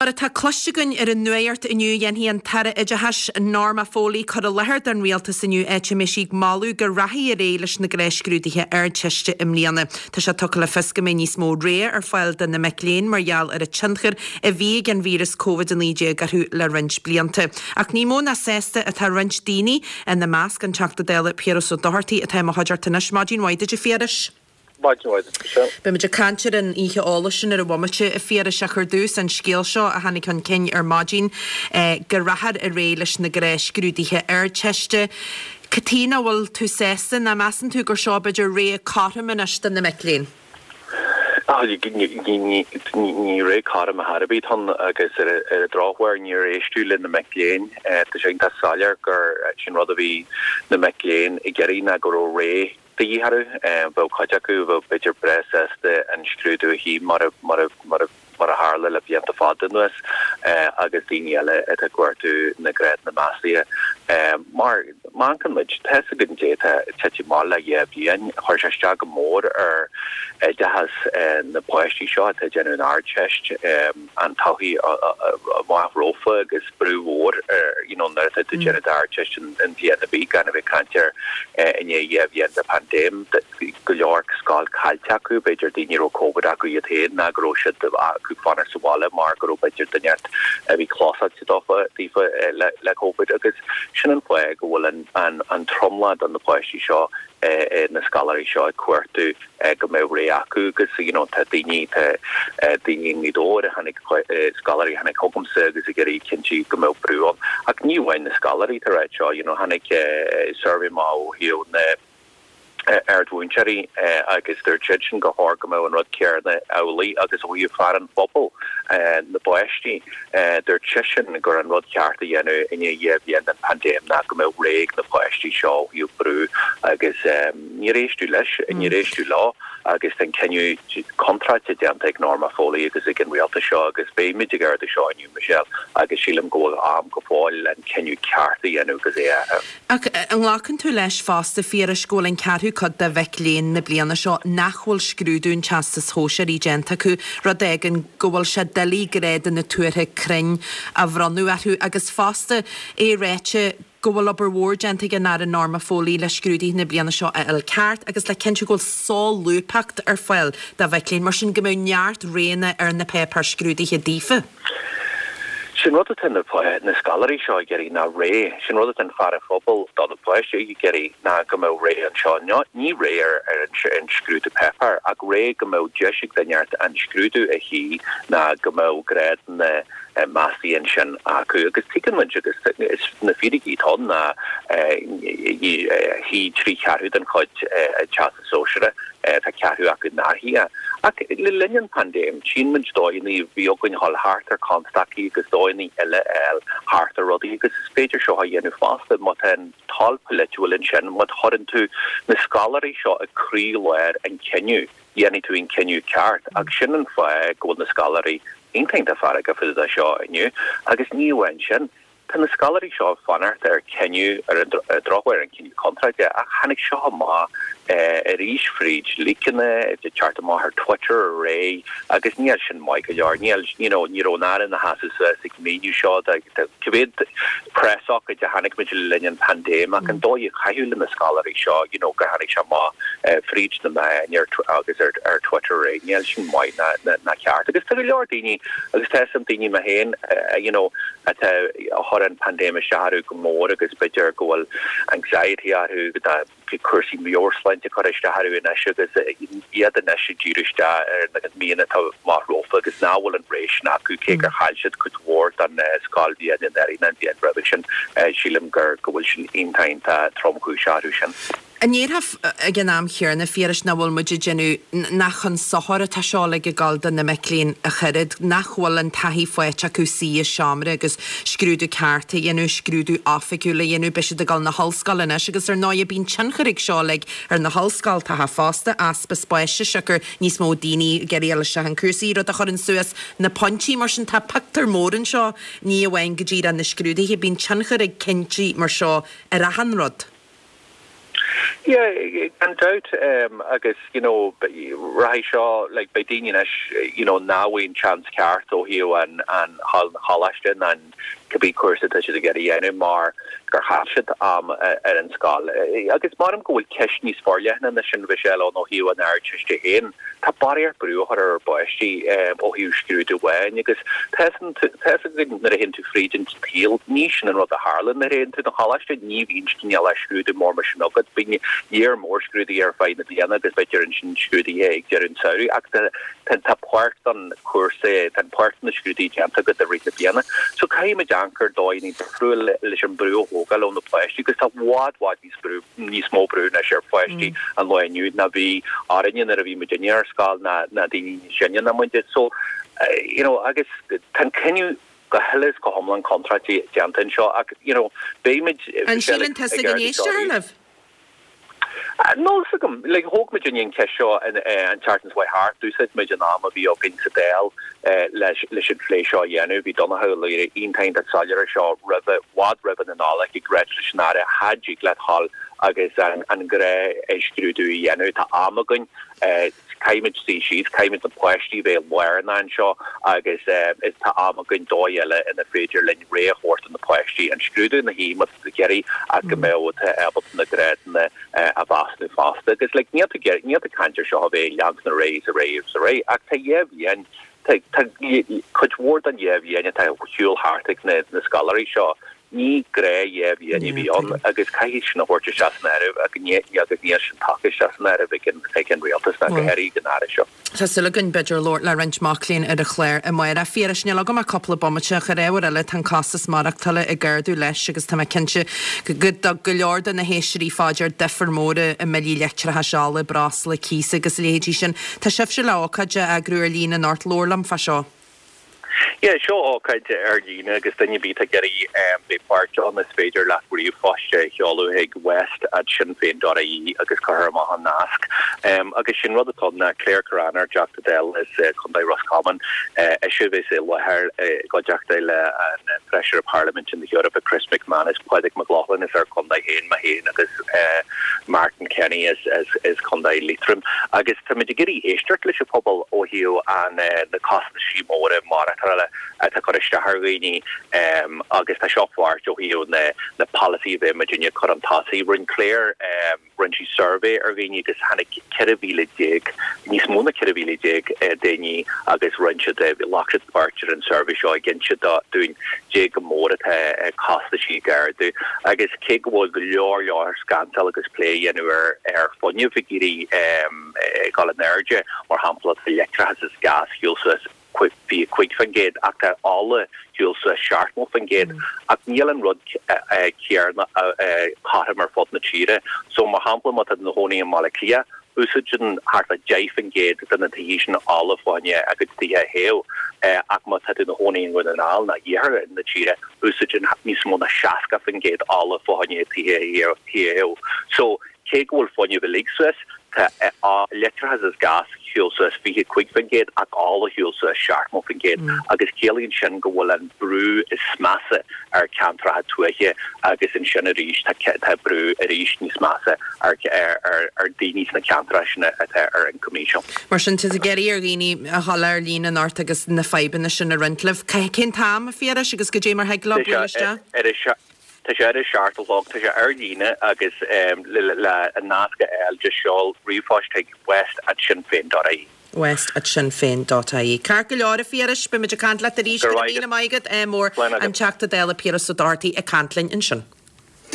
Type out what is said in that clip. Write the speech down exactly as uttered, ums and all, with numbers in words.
Mar atá cloiste againn ar an nuacht inniu dhéanfaidh an tAire Oideachais Norma Foley cur i láthair don rialtas inniu áit a mbeidh sí ag moladh go rachaí ar aghaidh leis na gnáthscrúduithe Ardteiste i mbliana. Tá sé tugtha le fios go mbeidh níos mó rogha ar fáil do na mic léinn mar gheall ar an tionchar a bhí ag an víreas Covid a naoi déag orthu le roinnt blianta. Ach ní mó ná sásta atá roinnt daoine ina measc an Teachta Dála Piaras Ó Dochartaigh atá i mo chuideachta anois. Maidin mhaith duit a Phiarais. Maidin mhaith duit. Beimid ag caint ar an oíche eolais sin ar an bhomaite a Phiarais ach ar dtús an scéal seo a tháinig chun cinn ar maidin go rachfar ar aghaidh leis na gnáthscrúduithe Ardteiste. Cad chuige nach bhfuil tú sásta ná measann tú gur seo b'fhéidir ré cothrom anois do na mic léinn? Ní ré cothrom ar bith atá ann agus ar an drochuair níor éisteadh le na mic léinn. Tá sé iontach soiléir gur sin rud a bhí na mic léinn ag iarraidh ná go raibh ré de dhíth orthu. Bheadh cuid acu bheadh b'fhéidir breá sásta an scrúdú a shuí mar a mar a mar a mar a tharla le blianta fada anuas agus daoine eile atá ag cuartú na grádanna meastaithe. Mar má amharcann muid, tá fhios againn dé atá tite amach le dhá bhliain, chuir sé isteach go mór ar oideachas na bpáistí seo atá ag déanamh an Ardteist, an todhchaí amach rompu agus brú mhór ar you know nuair atá tú ag déanamh d'Ardteist in bliain ar bith gan a bheith ag caint ar i ndiaidh dhá bhliain de phaindéim, go leor scoil caillte acu, b'fhéidir daoine a raibh Covid acu iad féin ná go raibh siad acu fanacht sa bhaile mar go raibh b'fhéidir duine a bhí clósáilte dófa daofa le le Covid agus sin an fáth go bhfuil an an an tromlach de na páistí seo na scoláirí seo ag cuartú go mbeadh ré acu agus you know tá daoine tá daoine i nGaoth Dobhair a tháinig scoláirí a tháinig chugamsa agus ag iarraidh cinntiú go mbeadh brú ann ach ní amháin na scoláirí tá ráit seo you know tháinig suirbhé amach ó thaobh na ardmhúinteoirí agus dúirt siad sin go chóir go mbeadh an rud céanna amhlaidh agus ó thaobh fear an phobail na bpáistí dúirt seisean gur an rud ceart a dhéanamh i ndiaidh dhá bhliain den phaindéim ná go mbeadh ré ag na páistí seo ó thaobh brú agus níor éisteadh leis níor éisteadh leo agus tá an cinneadh contráilte déanta ag Norma Foley agus ag an rialtas seo agus beimid ag ardú seo inniu Michelle agus sílim go bhfuil am go fóill an cinneadh ceart a dhéanamh agus é a Ach an nglacann tú leis fosta Phiarais go bhfuil an ceathrú cuid de mhic léinn na bliana seo nach bhfuil scrúdú an Teastais Shóisearaigh déanta acu, rud a fhágann go bhfuil sé doiligh grádanna tuartha cruinn a bhronnadh orthu agus fosta é ráite go bhfuil obair mhór déanta ag an Aire Norma Foley le scrúduithe na bliana seo a fháil ceart agus le cinntiú go bhfuil solúbthacht ar fáil do mhic léinn, mar sin go mbeadh neart roghanna ar na páipéir scrúdaithe daofa. Sin rud atá na na scoláirí seo ag iarraidh ná ré, sin rud atá an fear an phobail do na páistí ag iarraidh ná go mbeadh ré anseo. Ní ré ar ar an scrúdú páipéir ach ré go mbeadh deis ag duine an scrúdú a shuí ná go mbeadh grádanna meastaithe ansin acu agus tuigeann muid agus is na fíricí atá ann ná shuigh trí cheathrú den chuid Teastas Sóisearach tá ceathrú acu nár shuigh. Ach le linn an phaindéim tchíonn muid dóigheanna bhí againn dhul thart ar constaicí agus dóigheanna eile a fháil thart ar rudaí agus is féidir seo a dhéanamh fosta má tá an toil pholaitiúil ansin má chuireann tú na scoláirí seo ag croílár an chinnidh dhéanfaidh tú an cinneadh ceart ach sin an fáth go bhfuil na scoláirí iontach iontach feargach fá dtaobh de seo inniu agus ní amháin sin tá na scoláirí seo ag fanacht ar chinneadh ar an drochuair an cinneadh contráilte ach tháinig seo amach arís fríd leakanna ag teacht amach ar Twitter aréir agus níl sin maith go leor níl you know ní raibh an Aire ina sheasamh suas ag míniú seo cá mhéad preasócáid a tháinig muid le linn an phaindéim ach an dóigh a caitheadh le na scoláirí seo you know gur tháinig sé amach fríd na meáin ar agus ar ar Twitter aréir níl sin maith ná ná ceart agus tá go leor daoine agus tá some daoine mé féin you know atá a chuir an paindéim isteach orthu go mór agus b'fhéidir go bhfuil anxiety orthu go cúrsaí meabhairshláinte curtha isteach orthu anois agus iad anois ag díriú isteach ar na míonna atá amach rompu agus nach bhfuil an ré sin acu cé gur chaill siad cuid mhór den scoilbhliain anuraidh an bhliain roimhe sin sílim gur go bhfuil sin iontach iontach tromchúiseach orthu sin. An ndéarfá ag an am chéanna, a Phiarais, nach bhfuil muid ag déanamh, nach chun sochair atá seo uilig ag dul do na mic léinn ach oiread, nach bhfuil an taithí faighte acu suí i seomra agus scrúdú ceart a dhéanamh, scrúdú oifigiúil a dhéanamh, beidh siad ag dul na hollscoile anois agus ar ndóigh bíonn tionchar ag seo uilig ar na hollscoltacha fosta, easpa spáis siocair níos mó daoine ag iarraidh dul isteach in cúrsaí, rud a chuireann suas na pointí, mar sin tá pictiúr mór anseo, ní amháin go díreach na scrúduithe, bíonn tionchar ag cinntí mar seo ar achan rud. Yeah, gan dabht um, agus you know rachaidh seo like beidh daoine anois you know nach bhfuil chance ceart ó thaobh an an hall choláiste an cibé cúrsa tá siad ag iarraidh a dhéanamh mar gur chaith siad am ar an scoil. Agus measaim go bhfuil ceist níos forleithne ná sin Michelle ó thaobh an Ardteiste féin Tá barraíocht brú ar ar bpáistí ó thaobh scrúdú amháin agus nuair a théann tú fríd an tsaol ní sin an rud a tharla nuair a théann tú na choláiste ní bhíonn cineál scrúdú mór mar sin agat bíonn léar mór scrúduithe ar feadh na bliana agus b'fhéidir ansin scrúduithe ag deireadh an tsamhraidh ach tá páirt an cúrsa tá páirt na scrúduithe déanta agat i rith na bliana. So caithfimid amharc ar dóigh difriúil leis an brú a thógáil ó na páistí agus tá i bhfad bhfad níos brú níos mó brú anois ar pháistí mm. an lá inniu ná bhí orainne nuair a bhí muidinne ar scoil na na daoine sine ná muide so uh, you know agus tá cinneadh go huile is go hiomlán contráilte déanta anseo ach you know beimid An síleann tusa go n-éistfear libh? Níl a fhios agam le thóg muid an cheist seo an tseachtain seo thart d'úsáid muid an am a bhí againn sa Dáil leis leis an phlé seo a dhéanamh bhí Donnchadh Ó Laoghaire iontach soiléir seo roimh i bhfad roimh an Nollaig ag rá leis an Aire cha dtig leat a dhul agus an an gnáthscrúdú a dhéanamh tá am againn caithfimid suí síos caithfimid na páistí bheith lárnach anseo agus is tá am againn dóigh eile ina féidir linn ré a thabhairt na páistí an scrúdú na hí gerí a go mbeidh ábalta na grádanna a mheasúnú fosta agus le níl níl caint seo a bheith lean na ré a ré a ré ach tá dhá bhliain cuid mhór den dhá bhliain atá siúl thart ag na na scoláirí seo ní gnáth dhá bhliain a bhí ann agus caithfidh sin a thabhairt isteach san áireamh agus ní agus níl sin tagtha isteach san áireamh ag ag an rialtas ná go háirithe an Aire seo. Tá súil againn b'fhéidir labhairt le roinnt mac léinn ar an chlár amárach. Phiarais níl agam ach cúpla bomaite ach ar ábhar eile tá an costas maireachtála ag ardú leis agus tá mé cinnte go go leor de na héisteoirí faoi deara difear mór i mbillí leictreachais ola, breosla, cíos agus leithéidí sin. Tá sibhse le ócáid a eagrú ar líne anocht labhair liom fá seo. Yeah, seo ócáid ar líne agus duine ar bith ag iarraidh bheith páirteach ann is féidir leat ríomhphost a sheoladh chuig west at sinnfein.ie agus cuirfear amach an nasc. Um, agus sin rud atá ná Claire Kerrane ár dTeachta Dála as uh, Contae Roscommon uh, ise bheas i láthair uh, i gcuideachta le an Feisire Parlaiminte na hEorpa Chris McManus Pádraig McLaughlin is ar contae féin mé féin agus uh, Martin Kenny as, as, as Contae Leitrim. Agus tá muid ag iarraidh éisteacht leis an pobal ó thaobh an uh, na costais móra maireachtála atá cur isteach ar dhaoine um, agus tá seo páirt ó thaobh na na policy bheith muidinne chun an tosaigh rinne Claire um, rinne sí survey ar dhaoine agus tháinig ceithre mhíle déag níos mó ná ceithre mhíle déag uh, daoine agus rinne siad ghlac siad páirt ar an survey seo ag inse dúinn cé chomh mór atá uh, costaisí ag ardú agus cé go bhfuil go leor leor scannal agus plé déanamh ar ar fuinneamh ag éirí um, gal an airde mar shampla leictreachas is gas shiúil suas fiche cúig faoin gcéad ach tá ola shiúil suas seachtó faoin gcéad ach níl an rud céanna cothrom ar fud na tíre so mar shampla má tá i do chónaí i mBaile Átha Cliath úsáideann thart le deich faoin gcéad de na tithe sin ola fá choinne a gcuid tithe a théamh ach má tá i do chónaí i nDún na nGall ná iarthar na tíre úsáideann níos mó ná seasca faoin gcéad ola fá choinne tithe théamh so cé go bhfuil fuinneamh uilig suas leictreachas is gas shiúil suas fiche cúig faoin gcéad ach ola shiúil suas seachtó faoin gcéad agus ciallaíonn sin go bhfuil an brú is measa ar ceantracha tuaithe agus ansin arís tá brú arís níos measa ar ar ar daoine sna ceantracha sin atá ar an commission. Mar sin tá ag iarraidh ar dhaoine a dhul ar líne anocht agus na fadhbanna sin a roinnt libh. Cén t-am a Phiarais agus goidé mar thig leo Ar Tá sé ar a seacht a chlog tá sé ar líne agus um, le le an nasc a fháil just seol ríomhphost chuig west at sinnfein.ie. West at sinnfein.ie. Ceart go leor a Phiarais beimid ag caint leat arís Go raibh míle maith agat mór an Teachta Dála Piaras Ó Dochartaigh ag caint linn ansin.